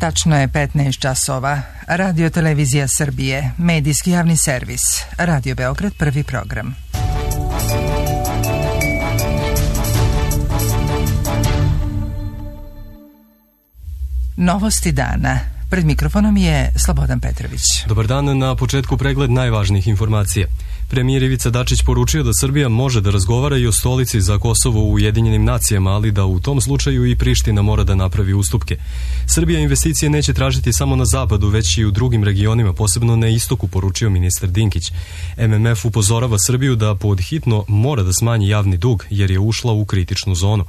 Tačno je 15 časova. Radio Televizija Srbije, medijski javni servis. Radio Beograd, prvi program. Novosti dana. Pred mikrofonom je Slobodan Petrović. Dobar dan, na početku pregled najvažnijih informacija. Premijer Ivica Dačić poručio da Srbija može da razgovara i o stolici za Kosovo u Ujedinjenim nacijama, ali da u tom slučaju i Priština mora da napravi ustupke. Srbija investicije neće tražiti samo na zapadu, već i u drugim regionima, posebno na istoku, poručio ministar Dinkić. MMF upozorava Srbiju da podhitno mora da smanji javni dug, jer je ušla u kritičnu zonu.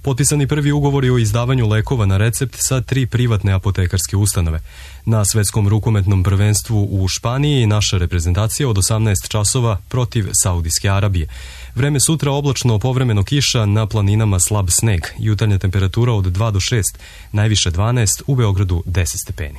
Potpisani prvi ugovori o izdavanju lekova na recept sa 3 privatne apotekarske ustanove. Na svetskom rukometnom prvenstvu u Španiji naša reprezentacija od 18 časova protiv Saudijske Arabije. Vreme sutra oblačno, povremeno kiša, na planinama slab sneg. Jutarnja temperatura od 2 do 6, najviše 12, u Beogradu 10 stepeni.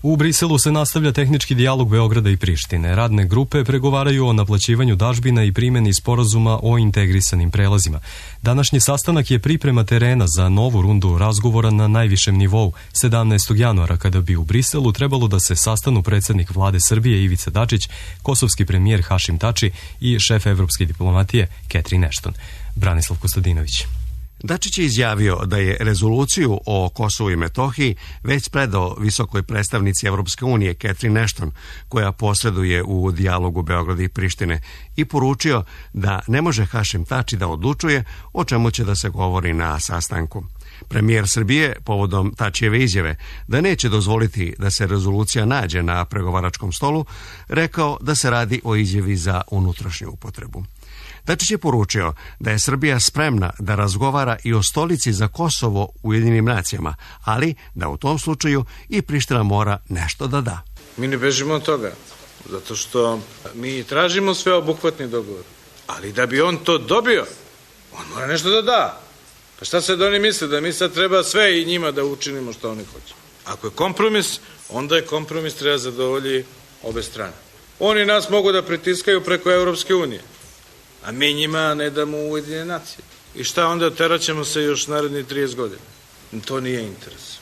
U Briselu se nastavlja tehnički dijalog Beograda i Prištine. Radne grupe pregovaraju o naplaćivanju dažbina i primjeni sporazuma o integrisanim prelazima. Današnji sastanak je priprema terena za novu rundu razgovora na najvišem nivou 17. januara, kada bi u Briselu trebalo da se sastanu predsjednik vlade Srbije Ivica Dačić, kosovski premijer Hašim Tači i šef evropske diplomatije Catherine Ashton. Branislav Kostadinović. Dačić je izjavio da je rezoluciju o Kosovu i Metohiji već predao visokoj predstavnici Evropske unije Catherine Ashton, koja posreduje u dijalogu Beograda i Prištine, i poručio da ne može Hašim Tači da odlučuje o čemu će da se govori na sastanku. Premijer Srbije, povodom Tačijeve izjave da neće dozvoliti da se rezolucija nađe na pregovaračkom stolu, rekao da se radi o izjavi za unutrašnju upotrebu. Dačić je poručio da je Srbija spremna da razgovara i o stolici za Kosovo u Ujedinjenim nacijama, ali da u tom slučaju i Priština mora nešto da da. Mi ne bežimo od toga, zato što mi tražimo sveobuhvatni dogovor, ali da bi on to dobio, on mora nešto da da. Pa šta sad oni misle, da mi sad treba sve i njima da učinimo što oni hoće? Ako je kompromis, onda je kompromis, treba zadovolji obe strane. Oni nas mogu da pritiskaju preko Evropske unije, a mi njima ne damo Ujedinjene nacije. I šta onda, teraćemo se još naredni 30 godina? To nije interes.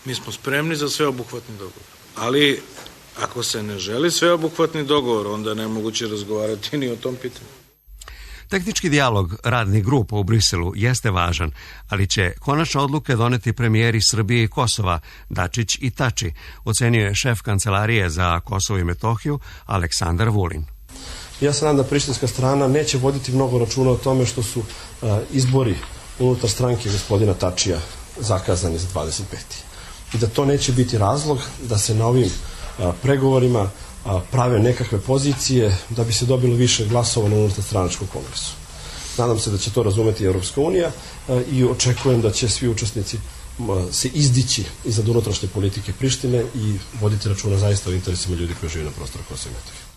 Mi smo spremni za sveobuhvatni dogovor. Ali ako se ne želi sveobuhvatni dogovor, onda ne moguće razgovarati ni o tom pitanju. Tehnički dijalog radnih grupa u Briselu jeste važan, ali će konačne odluke doneti premijeri Srbije i Kosova, Dačić i Tači, ocenio je šef Kancelarije za Kosovo i Metohiju Aleksandar Vulin. Ja se nadam da prištinska strana neće voditi mnogo računa o tome što su izbori unutar stranke gospodina Tačija zakazani za 25. I da to neće biti razlog da se na ovim pregovorima prave nekakve pozicije da bi se dobilo više glasova na unutar stranačkom kongresu. Nadam se da će to razumeti Evropska unija i očekujem da će svi učesnici se izdići iznad unutrašnje politike Prištine i voditi računa zaista o interesima ljudi koji žive na prostoru Kosova i Metohije.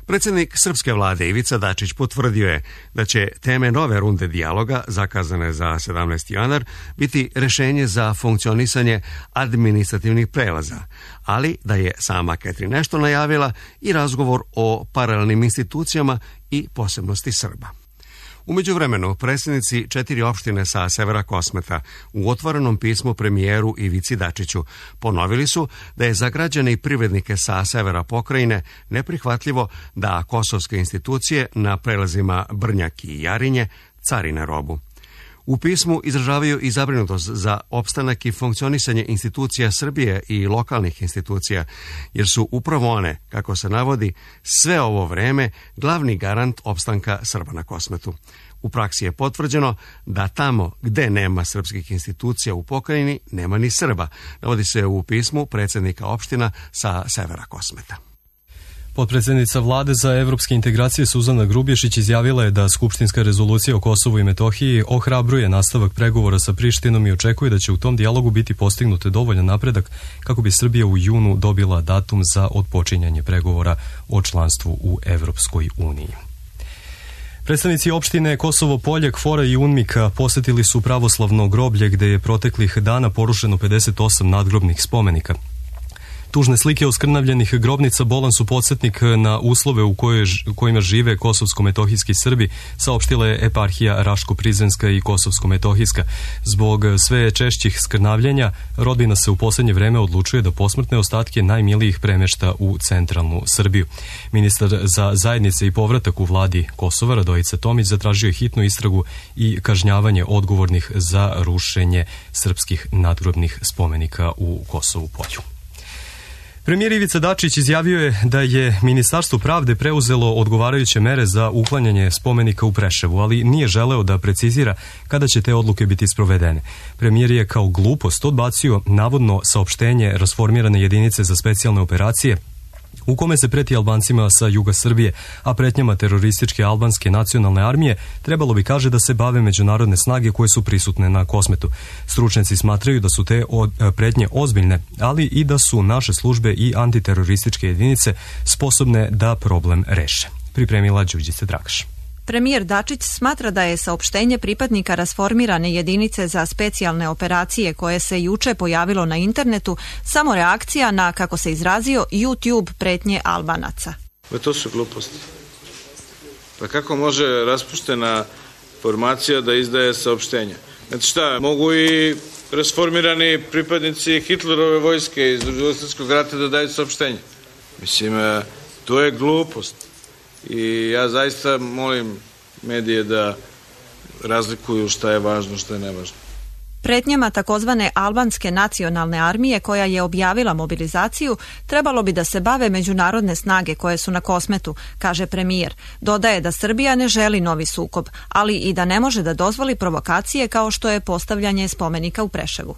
Predsjednik srpske vlade Ivica Dačić potvrdio je da će teme nove runde dijaloga, zakazane za 17. januar, biti rešenje za funkcionisanje administrativnih prelaza, ali da je sama Catherine Ashton najavila i razgovor o paralelnim institucijama i posebnosti Srba. U međuvremenu, predsjednici 4 opštine sa severa Kosmeta u otvorenom pismu premijeru Ivici Dačiću ponovili su da je za građane i privrednike sa severa pokrajine neprihvatljivo da kosovske institucije na prelazima Brnjak i Jarinje carine robu. U pismu izražavaju i zabrinutost za opstanak i funkcionisanje institucija Srbije i lokalnih institucija, jer su upravo one, kako se navodi, sve ovo vreme glavni garant opstanka Srba na Kosmetu. U praksi je potvrđeno da tamo gde nema srpskih institucija u pokrajini, nema ni Srba, navodi se u pismu predsjednika opština sa severa Kosmeta. Potpredsjednica vlade za evropske integracije Suzana Grubješić izjavila je da skupštinska rezolucija o Kosovu i Metohiji ohrabruje nastavak pregovora sa Prištinom i očekuje da će u tom dijalogu biti postignut dovoljan napredak kako bi Srbija u junu dobila datum za otpočinjanje pregovora o članstvu u Evropskoj uniji. Predstavnici opštine Kosovo Polje, Kvora i Unmika posetili su pravoslavno groblje gde je proteklih dana porušeno 58 nadgrobnih spomenika. Tužne slike oskrnavljenih grobnica bolan su podsjetnik na uslove u kojima žive kosovsko-metohijski Srbi, saopštila je eparhija Raško-Prizrenska i Kosovsko-metohijska. Zbog sve češćih skrnavljenja, rodbina se u posljednje vreme odlučuje da posmrtne ostatke najmilijih premešta u centralnu Srbiju. Ministar za zajednice i povratak u vladi Kosova, Radojica Tomić, zatražio je hitnu istragu i kažnjavanje odgovornih za rušenje srpskih nadgrobnih spomenika u Kosovu Polju. Premijer Ivica Dačić izjavio je da je Ministarstvo pravde preuzelo odgovarajuće mere za uklanjanje spomenika u Preševu, ali nije želeo da precizira kada će te odluke biti sprovedene. Premijer je kao glupost odbacio navodno saopštenje rasformirane jedinice za specijalne operacije u kome se preti Albancima sa juga Srbije, a pretnjama terorističke albanske nacionalne armije trebalo bi, kaže, da se bave međunarodne snage koje su prisutne na Kosmetu. Stručnjaci smatraju da su te pretnje ozbiljne, ali i da su naše službe i antiterorističke jedinice sposobne da problem reše. Pripremila Đurđica Dragaš. Premijer Dačić smatra da je saopštenje pripadnika rasformirane jedinice za specijalne operacije koje se juče pojavilo na internetu samo reakcija na, kako se izrazio, YouTube pretnje Albanaca. To su gluposti. Pa kako može raspuštena formacija da izdaje saopštenja? Znači šta, mogu i rasformirani pripadnici Hitlerove vojske iz Drugog svjetskog rata da daju saopštenje? Mislim, to je glupost. I ja zaista molim medije da razlikuju šta je važno, šta je nevažno. Pretnjama takozvane albanske nacionalne armije koja je objavila mobilizaciju trebalo bi da se bave međunarodne snage koje su na Kosmetu, kaže premijer. Dodaje da Srbija ne želi novi sukob, ali i da ne može da dozvoli provokacije kao što je postavljanje spomenika u Preševu.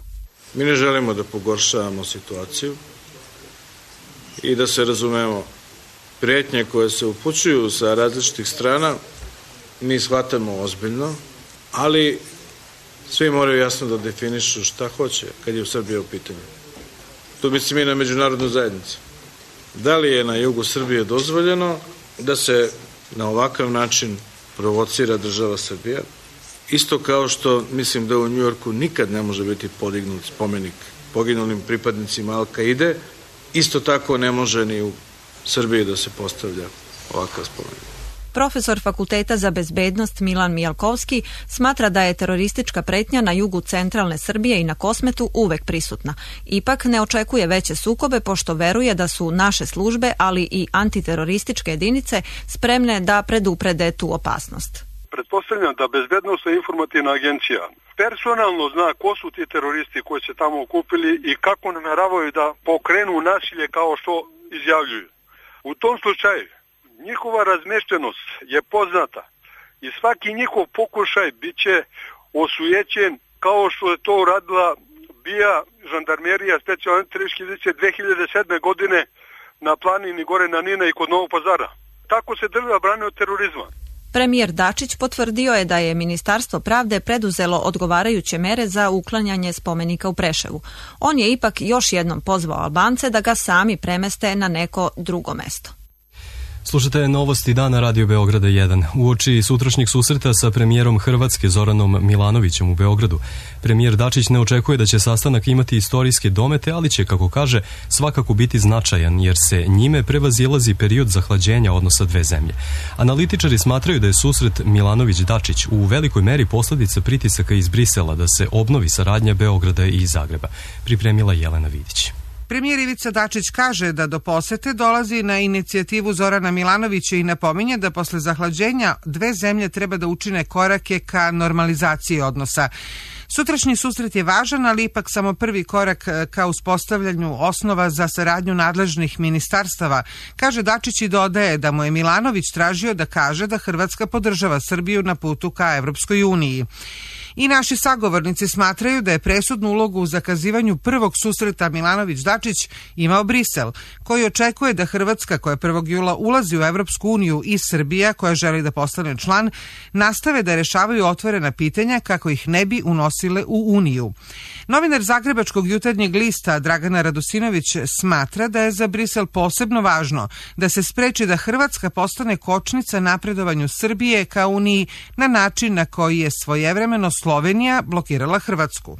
Mi ne želimo da pogoršavamo situaciju i da se razumemo. Prijetnje koje se upućuju sa različitih strana mi shvatamo ozbiljno, ali svi moraju jasno da definišu šta hoće kad je u Srbiji u pitanju. Tu mislim i na međunarodnu zajednicu. Da li je na jugu Srbije dozvoljeno da se na ovakav način provocira država Srbija? Isto kao što mislim da u Njujorku nikad ne može biti podignut spomenik poginulim pripadnicima Al-Kaide, isto tako ne može ni u Srbiji da se postavlja ovakav spomenik. Profesor Fakulteta za bezbednost Milan Mijalkovski smatra da je teroristička pretnja na jugu centralne Srbije i na Kosmetu uvek prisutna. Ipak ne očekuje veće sukobe pošto veruje da su naše službe, ali i antiterorističke jedinice spremne da preduprede tu opasnost. Pretpostavljam da Bezbednosna informativna agencija personalno zna ko su ti teroristi koji se tamo okupili i kako nameravaju da pokrenu nasilje kao što izjavljuju. U tom slučaju njihova razmeštenost je poznata i svaki njihov pokušaj bit će osujećen kao što je to uradila BIA, žandarmerija, specijalne antiterorističke jedinice 2007. godine na planini gore na Nina i kod Novog Pazara. Tako se država brani od terorizma. Premijer Dačić potvrdio je da je Ministarstvo pravde preduzelo odgovarajuće mere za uklanjanje spomenika u Preševu. On je ipak još jednom pozvao Albance da ga sami premeste na neko drugo mesto. Slušate Novosti dana Radio Beograda 1. Uoči sutrašnjeg susreta sa premijerom Hrvatske Zoranom Milanovićem u Beogradu, premijer Dačić ne očekuje da će sastanak imati istorijske domete, ali će, kako kaže, svakako biti značajan, jer se njime prevazilazi period zahlađenja odnosa dve zemlje. Analitičari smatraju da je susret Milanović-Dačić u velikoj meri posledica pritisaka iz Brisela da se obnovi saradnja Beograda i Zagreba. Pripremila Jelena Vidić. Premijer Ivica Dačić kaže da do posete dolazi na inicijativu Zorana Milanovića i napominje da posle zahlađenja dve zemlje treba da učine korake ka normalizaciji odnosa. Sutrašnji susret je važan, ali ipak samo prvi korak ka uspostavljanju osnova za saradnju nadležnih ministarstava, kaže Dačić i dodaje da mu je Milanović tražio da kaže da Hrvatska podržava Srbiju na putu ka Evropskoj uniji. I naši sagovornici smatraju da je presudnu ulogu u zakazivanju prvog susreta Milanović-Dačić imao Brisel, koji očekuje da Hrvatska, koja 1. jula ulazi u Evropsku uniju, i Srbija, koja želi da postane član, nastave da rešavaju otvorena pitanja kako ih ne bi unosile u Uniju. Novinar Zagrebačkog jutarnjeg lista Dragana Radosinović smatra da je za Brisel posebno važno da se spreči da Hrvatska postane kočnica napredovanju Srbije ka Uniji na način na koji je svojevremeno Slovenija blokirala Hrvatsku.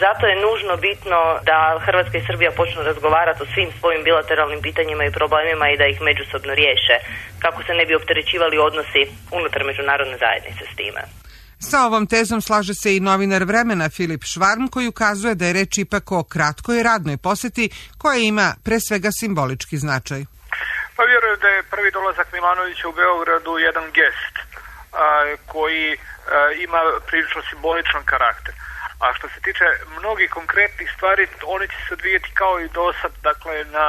Zato je nužno bitno da Hrvatska i Srbija počnu razgovarati o svim svojim bilateralnim pitanjima i problemima i da ih međusobno riješe, kako se ne bi opterećivali odnosi unutar međunarodne zajednice s time. Sa ovom tezom slaže se i novinar Vremena Filip Švarm, koji ukazuje da je reč ipak o kratkoj radnoj poseti koja ima pre svega simbolički značaj. Pa vjerujem da je prvi dolazak Milanovića u Beogradu jedan gest koji ima prilično simboličan karakter. A što se tiče mnogih konkretnih stvari, oni će se odvijeti kao i dosad, dakle na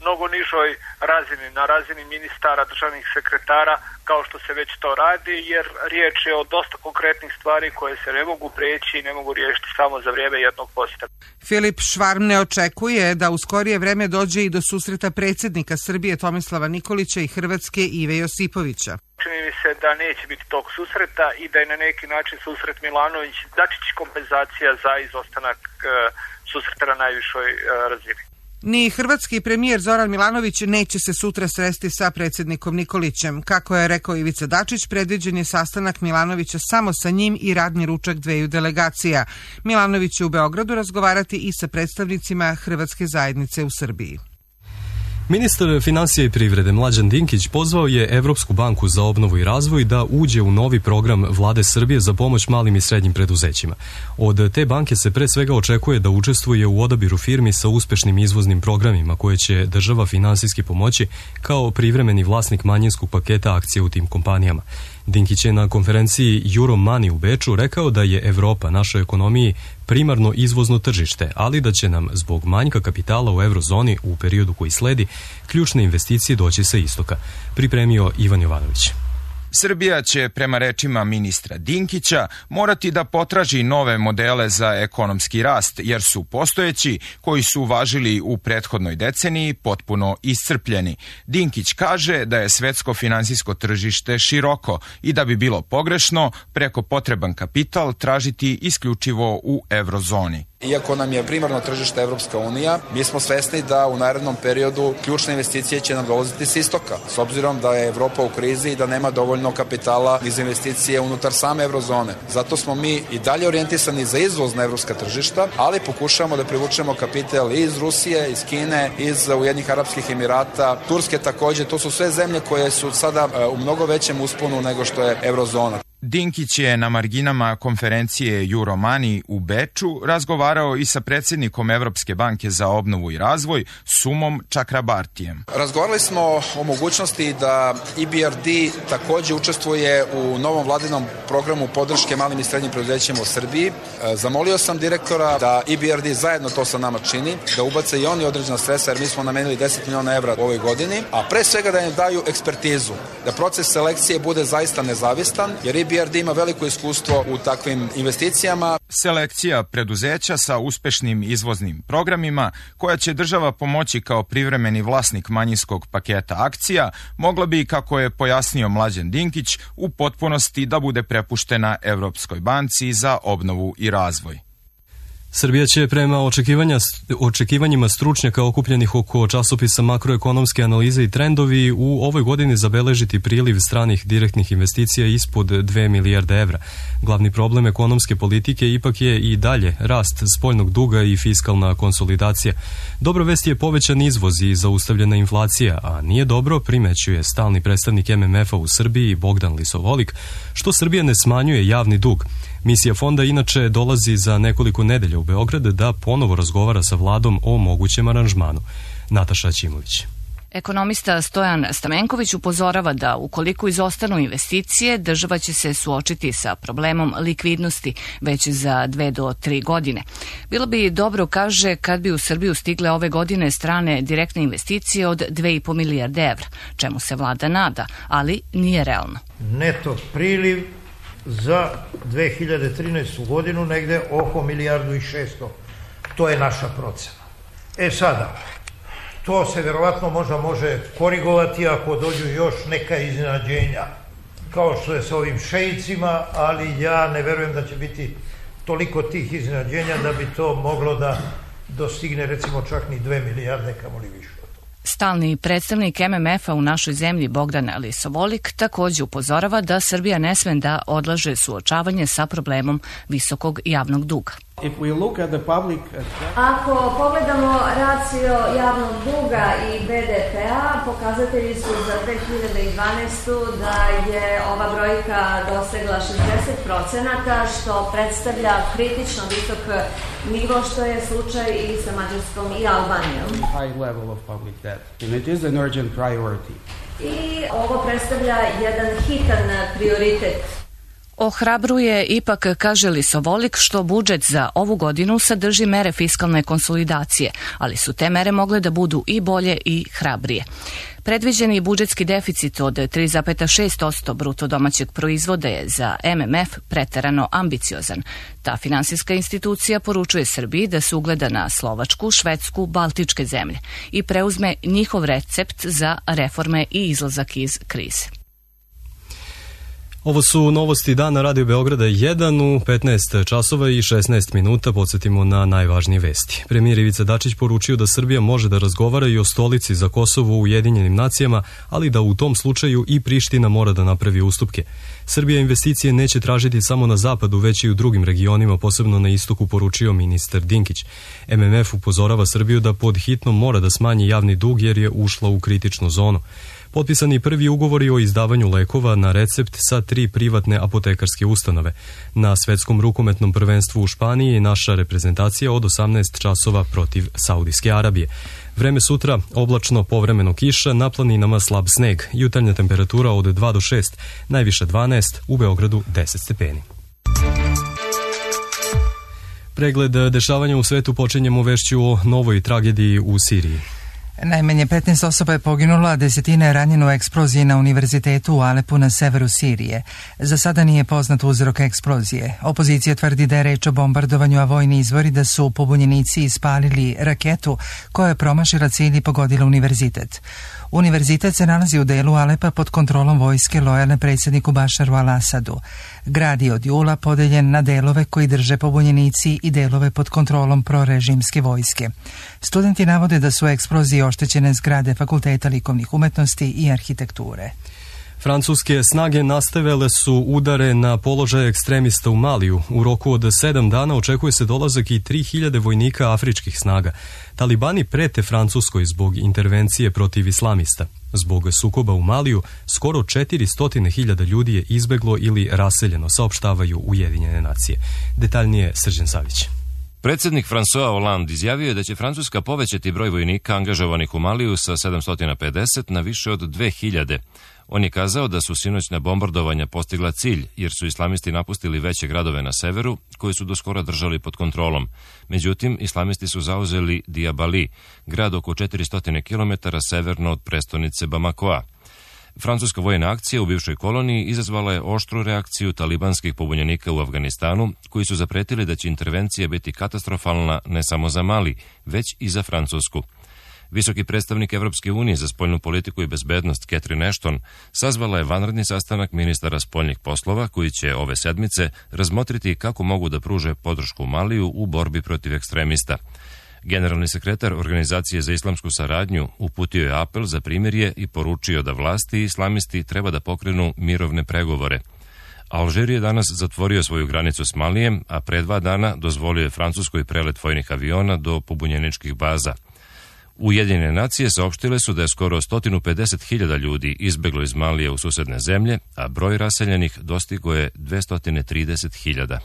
mnogo nižoj razini, na razini ministara, državnih sekretara, kao što se već to radi, jer riječ je o dosta konkretnih stvari koje se ne mogu preći i ne mogu riješiti samo za vrijeme jednog posjeta. Filip Švarm ne očekuje da u skorije vreme dođe i do susreta predsjednika Srbije Tomislava Nikolića i Hrvatske Ive Josipovića. Čini mi se da neće biti tog susreta i da je na neki način susret Milanović Dačić kompenzacija za izostanak susreta na najvišoj razini. Ni hrvatski premijer Zoran Milanović neće se sutra sresti sa predsjednikom Nikolićem. Kako je rekao Ivica Dačić, predviđen je sastanak Milanovića samo sa njim i radni ručak dveju delegacija. Milanović će u Beogradu razgovarati i sa predstavnicima hrvatske zajednice u Srbiji. Ministar finansija i privrede Mlađan Dinkić pozvao je Evropsku banku za obnovu i razvoj da uđe u novi program Vlade Srbije za pomoć malim i srednjim preduzećima. Od te banke se pre svega očekuje da učestvuje u odabiru firmi sa uspešnim izvoznim programima koje će država finansijski pomoći kao privremeni vlasnik manjinskog paketa akcija u tim kompanijama. Dinkić je na konferenciji Euromoney u Beču rekao da je Evropa našoj ekonomiji primarno izvozno tržište, ali da će nam zbog manjka kapitala u eurozoni u periodu koji sledi ključne investicije doći sa istoka. Pripremio Ivan Jovanović. Srbija će, prema rečima ministra Dinkića, morati da potraži nove modele za ekonomski rast, jer su postojeći, koji su važili u prethodnoj deceniji, potpuno iscrpljeni. Dinkić kaže da je svetsko finansijsko tržište široko i da bi bilo pogrešno preko potreban kapital tražiti isključivo u eurozoni. Iako nam je primarno tržište Evropska unija, mi smo svesni da u narednom periodu ključne investicije će nam dolaziti s istoka, s obzirom da je Evropa u krizi i da nema dovoljno kapitala iz investicije unutar same eurozone. Zato smo mi i dalje orijentisani za izvoz na evropska tržišta, ali pokušavamo da privučemo kapital i iz Rusije, iz Kine, iz Ujedinjenih Arapskih Emirata, Turske takođe. To su sve zemlje koje su sada u mnogo većem usponu nego što je eurozona. Dinkić je na marginama konferencije Euromoney u Beču razgovarao i sa predsjednikom Evropske banke za obnovu i razvoj, Sumom Čakrabartijem. Razgovarali smo o mogućnosti da EBRD takođe učestvuje u novom vladinom programu podrške malim i srednjim preduzećima u Srbiji. Zamolio sam direktora da EBRD zajedno to sa nama čini, da ubace i oni određena sredstva, jer mi smo namenili 10 miliona evra u ovoj godini, a pre svega da im daju ekspertizu, da proces selekcije bude zaista nezavistan, jer EBRD ima veliko iskustvo u takvim investicijama. Selekcija preduzeća sa uspešnim izvoznim programima, koja će država pomoći kao privremeni vlasnik manjinskog paketa akcija, mogla bi, kako je pojasnio Mlađan Dinkić, u potpunosti da bude prepuštena Evropskoj banci za obnovu i razvoj. Srbija će prema očekivanjima stručnjaka okupljenih oko časopisa Makroekonomske analize i trendovi u ovoj godini zabeležiti priliv stranih direktnih investicija ispod 2 milijarde evra. Glavni problem ekonomske politike ipak je i dalje rast spoljnog duga i fiskalna konsolidacija. Dobra vest je povećan izvoz i zaustavljena inflacija, a nije dobro, primećuje stalni predstavnik MMF-a u Srbiji Bogdan Lisovolik, što Srbija ne smanjuje javni dug. Misija fonda inače dolazi za nekoliko nedelja u Beograd da ponovo razgovara sa vladom o mogućem aranžmanu. Nataša Ćimović. Ekonomista Stojan Stamenković upozorava da ukoliko izostanu investicije, država će se suočiti sa problemom likvidnosti već za 2 do 3 godine. Bilo bi dobro, kaže, kad bi u Srbiju stigle ove godine strane direktne investicije od 2,5 milijarde evra, čemu se vlada nada, ali nije realno. Neto priliv za 2013. godinu negde oko 1,6 milijardu. To je naša procena. Sada, to se verovatno može korigovati ako dođu još neka iznenađenja, kao što je sa ovim šeicima, ali ja ne verujem da će biti toliko tih iznenađenja da bi to moglo da dostigne recimo čak ni 2 milijarde, kamoli više. Stalni predstavnik MMF-a u našoj zemlji Bogdan Lisovolik također upozorava da Srbija ne sme da odlaže suočavanje sa problemom visokog javnog duga. Ako pogledamo racio javnog duga i BDP-a, pokazatelji su za 2012. da je ova brojka dosegla 60%, što predstavlja kritično visok nivo, što je slučaj i sa Mađarskom i Albanijom. I ovo predstavlja jedan hitan prioritet. Ohrabruje ipak, kaže Lisovolik, što budžet za ovu godinu sadrži mere fiskalne konsolidacije, ali su te mere mogle da budu i bolje i hrabrije. Predviđeni budžetski deficit od 3,6% bruto domaćeg proizvoda je za MMF preterano ambiciozan. Ta finansijska institucija poručuje Srbiji da se ugleda na Slovačku, Švedsku, Baltičke zemlje i preuzme njihov recept za reforme i izlazak iz krize. Ovo su novosti dana Radio Beograda 1 u 15 časova i 16 minuta. Podsjetimo na najvažnije vesti. Premijer Ivica Dačić poručio da Srbija može da razgovara i o stolici za Kosovo u Ujedinjenim nacijama, ali da u tom slučaju i Priština mora da napravi ustupke. Srbija investicije neće tražiti samo na zapadu, već i u drugim regionima, posebno na istoku, poručio ministar Dinkić. MMF upozorava Srbiju da pod hitno mora da smanji javni dug jer je ušla u kritičnu zonu. Potpisani prvi ugovori o izdavanju lekova na recept sa 3 privatne apotekarske ustanove. Na svetskom rukometnom prvenstvu u Španiji naša reprezentacija od 18 časova protiv Saudijske Arabije. Vreme sutra oblačno, povremeno kiša, na planinama slab sneg. Jutarnja temperatura od 2 do 6, najviše 12, u Beogradu 10 stepeni. Pregled dešavanja u svetu počinjemo vešću o novoj tragediji u Siriji. Najmanje 15 osoba je poginulo, a desetine je ranjeno u eksploziji na univerzitetu u Alepu na severu Sirije. Za sada nije poznat uzrok eksplozije. Opozicija tvrdi da je reč o bombardovanju, a vojni izvori da su pobunjenici ispalili raketu koja je promašila cilj i pogodila univerzitet. Univerzitet se nalazi u delu Alepa pod kontrolom vojske lojalne predsjedniku Bašaru al-Asadu. Grad je od jula podeljen na delove koji drže pobunjenici i delove pod kontrolom prorežimske vojske. Studenti navode da su u eksploziji oštećene zgrade Fakulteta likovnih umetnosti i arhitekture. Francuske snage nastavile su udare na položaje ekstremista u Maliju. U roku od 7 dana očekuje se dolazak i 3000 vojnika afričkih snaga. Talibani prete Francuskoj zbog intervencije protiv islamista. Zbog sukoba u Maliju skoro 400.000 ljudi je izbeglo ili raseljeno, saopštavaju Ujedinjene nacije. Detaljnije Srđan Savić. Predsjednik François Hollande izjavio je da će Francuska povećati broj vojnika angažovanih u Maliju sa 750 na više od 2000. On je kazao da su sinoćna bombardovanja postigla cilj, jer su islamisti napustili veće gradove na severu, koji su do skora držali pod kontrolom. Međutim, islamisti su zauzeli Diabali, grad oko 400 km severno od prestonice Bamakoa. Francuska vojna akcija u bivšoj koloniji izazvala je oštru reakciju talibanskih pobunjenika u Afganistanu, koji su zapretili da će intervencija biti katastrofalna ne samo za Mali, već i za Francusku. Visoki predstavnik Evropske unije za spoljnu politiku i bezbednost Catherine Ashton sazvala je vanredni sastanak ministara spoljnih poslova koji će ove sedmice razmotriti kako mogu da pruže podršku Maliju u borbi protiv ekstremista. Generalni sekretar Organizacije za islamsku saradnju uputio je apel za primirje i poručio da vlasti i islamisti treba da pokrenu mirovne pregovore. Alžir je danas zatvorio svoju granicu s Malijem, a pre 2 dana dozvolio je Francuskoj prelet vojnih aviona do pobunjeničkih baza. Ujedinjene nacije saopštile su da je skoro 150.000 ljudi izbeglo iz Malije u susedne zemlje, a broj raseljenih dostigo je 230.000.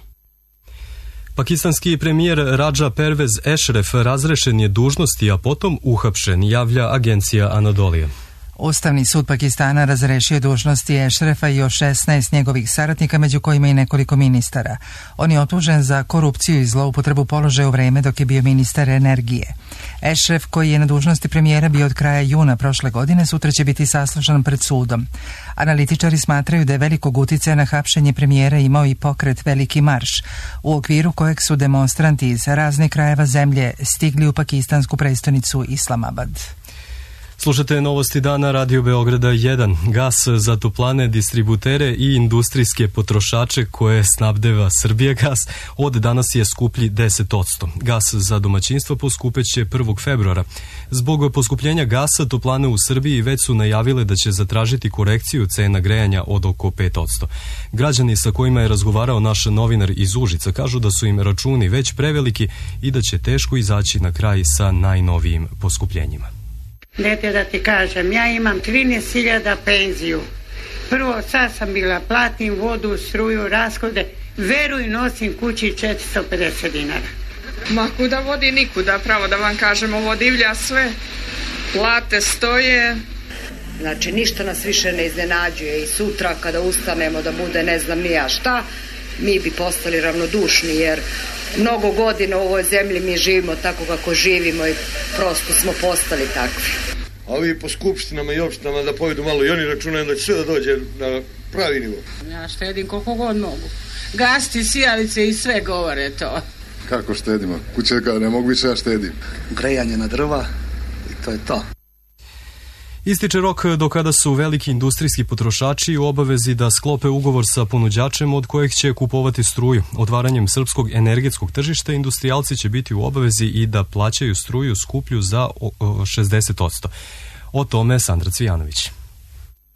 Pakistanski premijer Raja Pervez Ešref razrešen je dužnosti, a potom uhapšen, javlja agencija Anadolije. Ustavni sud Pakistana razrešio dužnosti Ešrefa i još 16 njegovih saradnika, među kojima i nekoliko ministara. On je optužen za korupciju i zloupotrebu položaja u vreme dok je bio ministar energije. Ešref, koji je na dužnosti premijera bio od kraja juna prošle godine, sutra će biti saslušan pred sudom. Analitičari smatraju da je velikog uticaja na hapšenje premijera imao i pokret Veliki marš, u okviru kojeg su demonstranti iz raznih krajeva zemlje stigli u pakistansku prestonicu Islamabad. Slušate novosti dana Radio Beograda 1. Gas za toplane, distributere i industrijske potrošače koje snabdeva Srbijagas od danas je skuplji 10%. Gas za domaćinstvo poskupeće 1. februara. Zbog poskupljenja gasa toplane u Srbiji već su najavile da će zatražiti korekciju cena grejanja od oko 5%. Građani sa kojima je razgovarao naš novinar iz Užica kažu da su im računi već preveliki i da će teško izaći na kraj sa najnovijim poskupljenjima. Dete, da ti kažem, ja imam 13.000 penziju. Prvo, sad sam bila, platim vodu, struju, rashode, veruj, nosim kući 450 dinara. Ma kuda vodi nikuda, pravo da vam kažem, ovo divlja sve. Plate stoje. Znači, ništa nas više ne iznenađuje i sutra kada ustanemo da bude ne znam ni ja šta, mi bi postali ravnodušni jer mnogo godina u ovoj zemlji mi živimo tako kako živimo i prosto smo postali takvi. A ovi po skupštinama i opštinama da povedu malo i oni računaju da će sve da dođe na pravi nivo. Ja štedim koliko god mogu. Gasti, sijalice i sve govore to. Kako štedimo? Kuće kada ne mogu više ja štedim. Grejanje na drva i to je to. Ističe rok do kada su veliki industrijski potrošači u obavezi da sklope ugovor sa ponuđačem od kojeg će kupovati struju. Otvaranjem srpskog energetskog tržišta industrijalci će biti u obavezi i da plaćaju struju skuplju za 60%. O tome Sandra Cvijanović.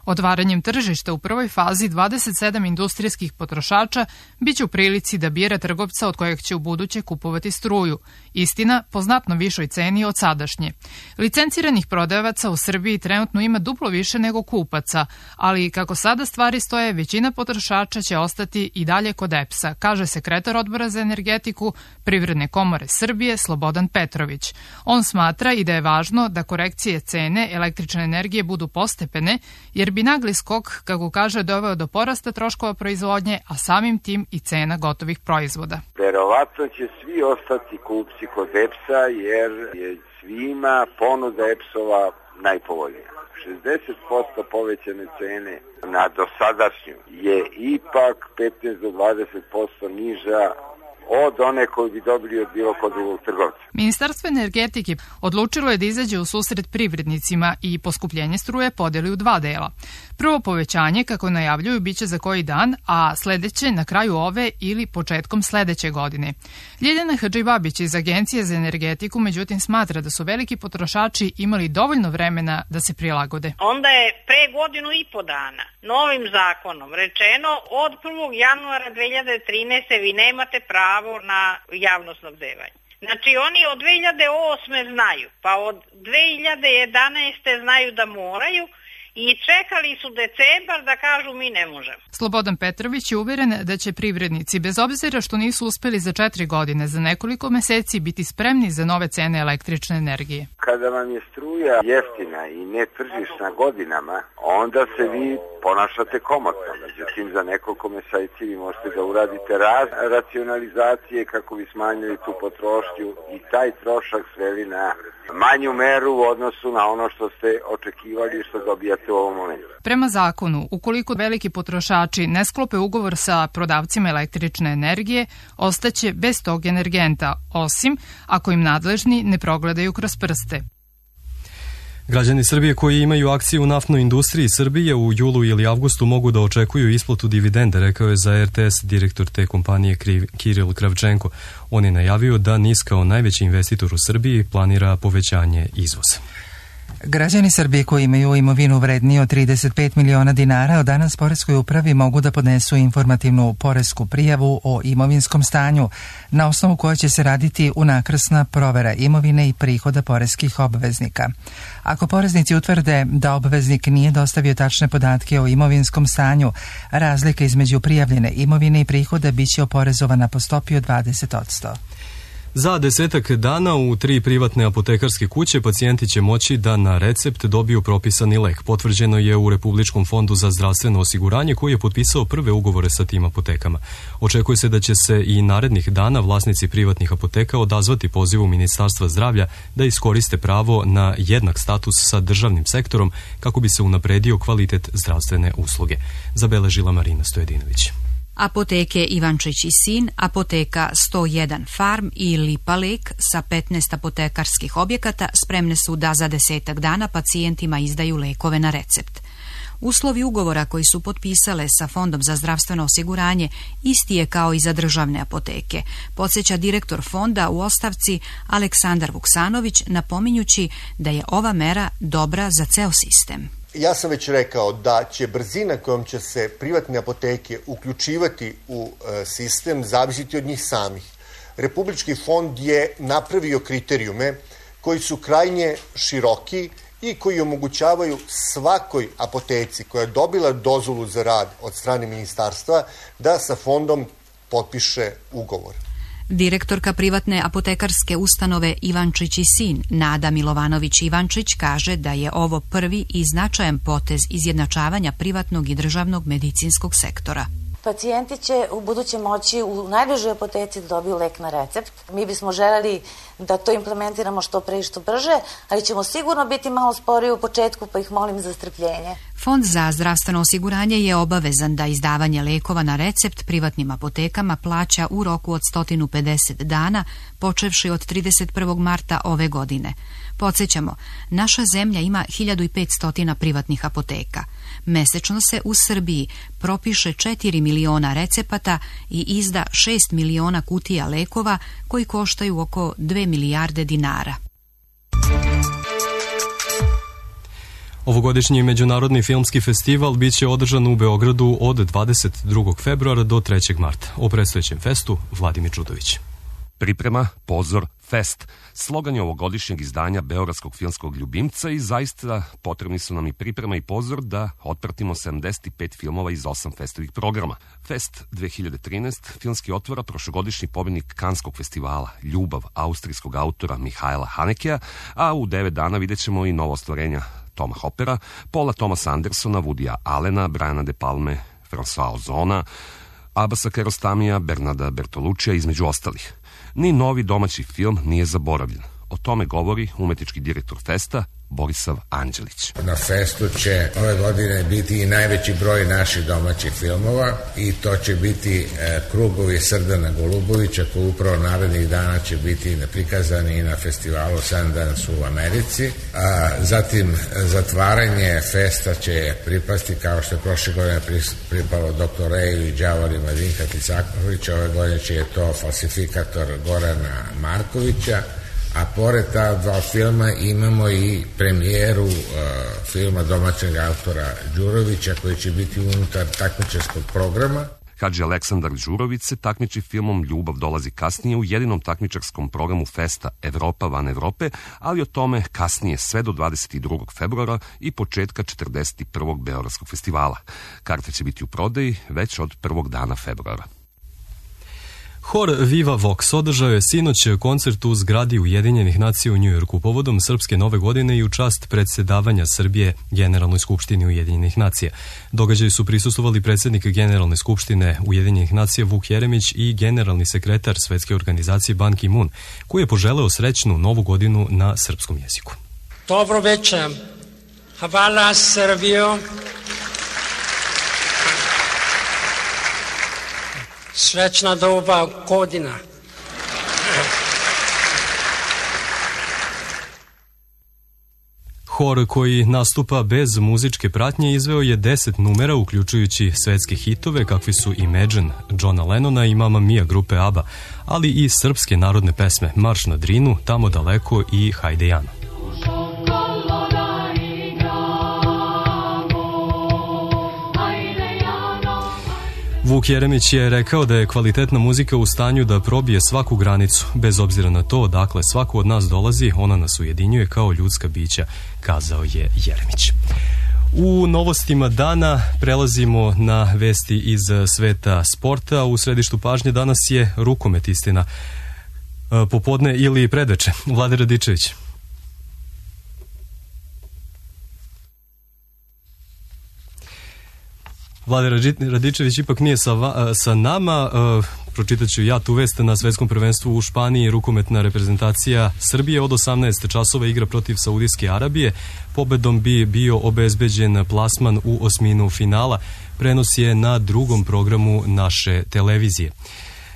Otvaranjem tržišta u prvoj fazi 27 industrijskih potrošača biće u prilici da bira trgovca od kojeg će u buduće kupovati struju. Istina, po znatno višoj ceni od sadašnje. Licenciranih prodavaca u Srbiji trenutno ima duplo više nego kupaca, ali kako sada stvari stoje, većina potrošača će ostati i dalje kod EPS-a, kaže sekretar Odbora za energetiku Privredne komore Srbije Slobodan Petrović. On smatra i da je važno da korekcije cene električne energije budu postepene, jer bi nagli skok, kako kaže, doveo do porasta troškova proizvodnje, a samim tim i cena gotovih proizvoda. Verovatno će svi ostati kupci kod EPS-a jer je svima ponuda EPS-ova najpovoljnija. 60% povećane cene na dosadašnju je ipak 15 do 20% niža od one koju bi dobili od bilo kod drugog trgovca. Ministarstvo energetike odlučilo je da izađe u susret privrednicima i poskupljenje struje podeli u dva dela. Prvo povećanje, kako najavljuju, biće za koji dan, a sledeće na kraju ove ili početkom sledeće godine. Ljiljana Hadžibabić iz Agencije za energetiku međutim smatra da su veliki potrošači imali dovoljno vremena da se prilagode. Onda je pre godinu i po dana novim zakonom rečeno od 1. januara 2013. vi nemate pravo na javno snabdevanje. Znači oni od 2008. znaju, pa od 2011. znaju da moraju i čekali su decembar da kažu mi ne možemo. Slobodan Petrović je uveren da će privrednici, bez obzira što nisu uspeli za 4 godine, za nekoliko meseci biti spremni za nove cene električne energije. Kada vam je struja jeftina i netržišna godinama, onda se vi ponašate komotno. Međutim, za nekoliko meseci vi možete da uradite racionalizacije kako bi smanjili tu potrošnju i taj trošak sveli na manju meru u odnosu na ono što ste očekivali i što dobijate u ovom momentu. Prema zakonu, ukoliko veliki potrošači ne sklope ugovor sa prodavcima električne energije, ostaće bez tog energenta, osim ako im nadležni ne progledaju kroz prste. Građani Srbije koji imaju akcije u naftnoj industriji Srbije u julu ili avgustu mogu da očekuju isplatu dividende, rekao je za RTS direktor te kompanije Kiril Kravčenko. On je najavio da NIS kao najveći investitor u Srbiji planira povećanje izvoza. Građani Srbije koji imaju imovinu vredniju od 35 miliona dinara od danas poreskoj upravi mogu da podnesu informativnu poresku prijavu o imovinskom stanju, na osnovu koje će se raditi unakrsna provera imovine i prihoda poreskih obveznika. Ako poreznici utvrde da obveznik nije dostavio tačne podatke o imovinskom stanju, razlika između prijavljene imovine i prihoda biće oporezovana po stopi od 20%. Za 10 dana u 3 privatne apotekarske kuće pacijenti će moći da na recept dobiju propisani lek. Potvrđeno je u Republičkom fondu za zdravstveno osiguranje koji je potpisao prve ugovore sa tim apotekama. Očekuje se da će se i narednih dana vlasnici privatnih apoteka odazvati pozivu Ministarstva zdravlja da iskoriste pravo na jednak status sa državnim sektorom kako bi se unapredio kvalitet zdravstvene usluge. Zabeležila Marina Stojedinović. Apoteke Ivančić i sin, apoteka 101 Farm i Lipa Lek sa 15 apotekarskih objekata spremne su da za 10 dana pacijentima izdaju lekove na recept. Uslovi ugovora koji su potpisale sa Fondom za zdravstveno osiguranje isti je kao i za državne apoteke, podsjeća direktor fonda u ostavci Aleksandar Vuksanović, napominjući da je ova mera dobra za ceo sistem. Ja sam već rekao da će brzina kojom će se privatne apoteke uključivati u sistem zavisiti od njih samih. Republički fond je napravio kriterijume koji su krajnje široki i koji omogućavaju svakoj apoteci koja je dobila dozvolu za rad od strane ministarstva da sa fondom potpiše ugovor. Direktorka privatne apotekarske ustanove Ivančić i sin, Nada Milovanović-Ivančić, kaže da je ovo prvi i značajan potez izjednačavanja privatnog i državnog medicinskog sektora. Pacijenti će u buduće moći u najbližoj apoteci da dobiju lek na recept. Mi bismo želeli da to implementiramo što pre i što brže, ali ćemo sigurno biti malo sporiji u početku, pa ih molim za strpljenje. Fond za zdravstveno osiguranje je obavezan da izdavanje lekova na recept privatnim apotekama plaća u roku od 150 dana, počevši od 31. marta ove godine. Podsjećamo, naša zemlja ima 1500 privatnih apoteka. Mesečno se u Srbiji propiše 4 miliona recepata i izda 6 miliona kutija lekova koji koštaju oko 2 milijarde dinara. Ovogodišnji Međunarodni filmski festival biće održan u Beogradu od 22. februara do 3. marta. O predstojećem festu Vladimir Čudović. Priprema, pozor, fest. Slogan je ovogodišnjeg izdanja Beogradskog filmskog ljubimca i zaista potrebni su nam i priprema i pozor da otpratimo 75 filmova iz 8 festovih programa. Fest 2013 filmski otvara prošlogodišnji pobednik Kanskog festivala Ljubav austrijskog autora Mihajla Hanekeja, a u 9 dana vidjet ćemo i novo ostvarenja Toma Hoppera, Paula Thomasa Andersona, Woodya Allena, Briana De Palme, François Ozona, Abasa Kiarostamija, Bernarda Bertolucija, između ostalih. Ni novi domaći film nije zaboravljen. O tome govori umetnički direktor festa Borisav Anđelić. Na festu će ove godine biti i najveći broj naših domaćih filmova i to će biti Krugovi Srdana Golubovića koji upravo narednih dana će biti prikazani i na festivalu Sundance u Americi. Zatim zatvaranje festa će pripasti kao što je prošle godine pripalo Dr. Reju i Đavorima Dinka Ticakovića. Ove godine će to Falsifikator Gorana Markovića. A pored ta dva filma imamo i premijeru filma domaćeg autora Đurovića koji će biti unutar takmičarskog programa. Hadži Aleksandar Đurović se takmiči filmom Ljubav dolazi kasnije u jedinom takmičarskom programu festa Evropa van Evrope, ali o tome kasnije sve do 22. februara i početka 41. Beogradskog festivala. Karte će biti u prodaji već od prvog dana februara. Hor Viva Vox održao je sinoć koncert u zgradi Ujedinjenih nacija u Njujorku povodom Srpske nove godine i u čast predsedavanja Srbije Generalnoj skupštini Ujedinjenih nacija. Događaju su prisustvovali predsjednik Generalne skupštine Ujedinjenih nacija Vuk Jeremić i generalni sekretar Svetske organizacije Ban Ki-moon, koji je poželeo srećnu novu godinu na srpskom jeziku. Dobro večer. Hvala Srbijo. Srećna nova godina. Hor koji nastupa bez muzičke pratnje izveo je 10 numera uključujući svetske hitove kakvi su Imagine Johna Lennona i Mamma Mia grupe ABBA, ali i srpske narodne pesme Marš na Drinu, Tamo daleko i Hajde Jano. Vuk Jeremić je rekao da je kvalitetna muzika u stanju da probije svaku granicu, bez obzira na to odakle svako od nas dolazi, ona nas ujedinjuje kao ljudska bića, kazao je Jeremić. U novostima dana prelazimo na vesti iz sveta sporta. U središtu pažnje danas je rukomet, istina, popodne ili predveče. Vlade Radičević. Vlade Radičević ipak nije sa nama. pročitat ću ja tu vest. Na svetskom prvenstvu u Španiji rukometna reprezentacija Srbije od 18 časova igra protiv Saudijske Arabije. Pobedom bi bio obezbeđen plasman u osminu finala. Prenos je na drugom programu naše televizije.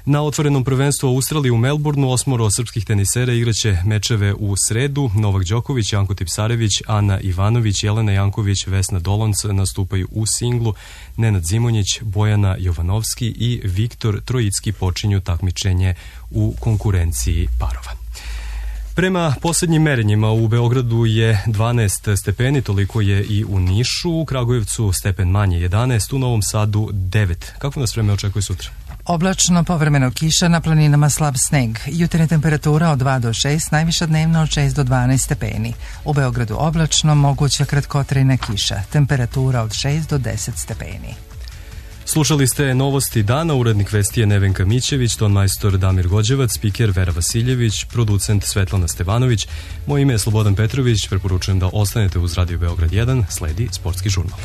Na otvorenom prvenstvu Australije u Melbourneu 8 srpskih tenisera igraće mečeve u sredu. Novak Đoković, Janko Tipsarević, Ana Ivanović, Jelena Janković, Vesna Dolonc nastupaju u singlu. Nenad Zimonjić, Bojana Jovanovski i Viktor Trojicki počinju takmičenje u konkurenciji parova. Prema posljednjim merenjima u Beogradu je 12 stepeni, toliko je i u Nišu, u Kragujevcu stepen manje 11, u Novom Sadu 9. Kako nas vreme očekuje sutra? Oblačno, povremeno kiša, na planinama slab sneg. Jutarnja temperatura od 2 do 6, najviša dnevna od 6 do 12 stepeni. U Beogradu oblačno, moguća kratkotrajna kiša. Temperatura od 6 do 10 stepeni. Slušali ste novosti dana, urednik vesti je Nevenka Mićević, tonmajstor Damir Gođevac, spiker Vera Vasiljević, producent Svetlana Stevanović. Moje ime je Slobodan Petrović, preporučujem da ostanete uz Radio Beograd 1, sledi sportski žurnal.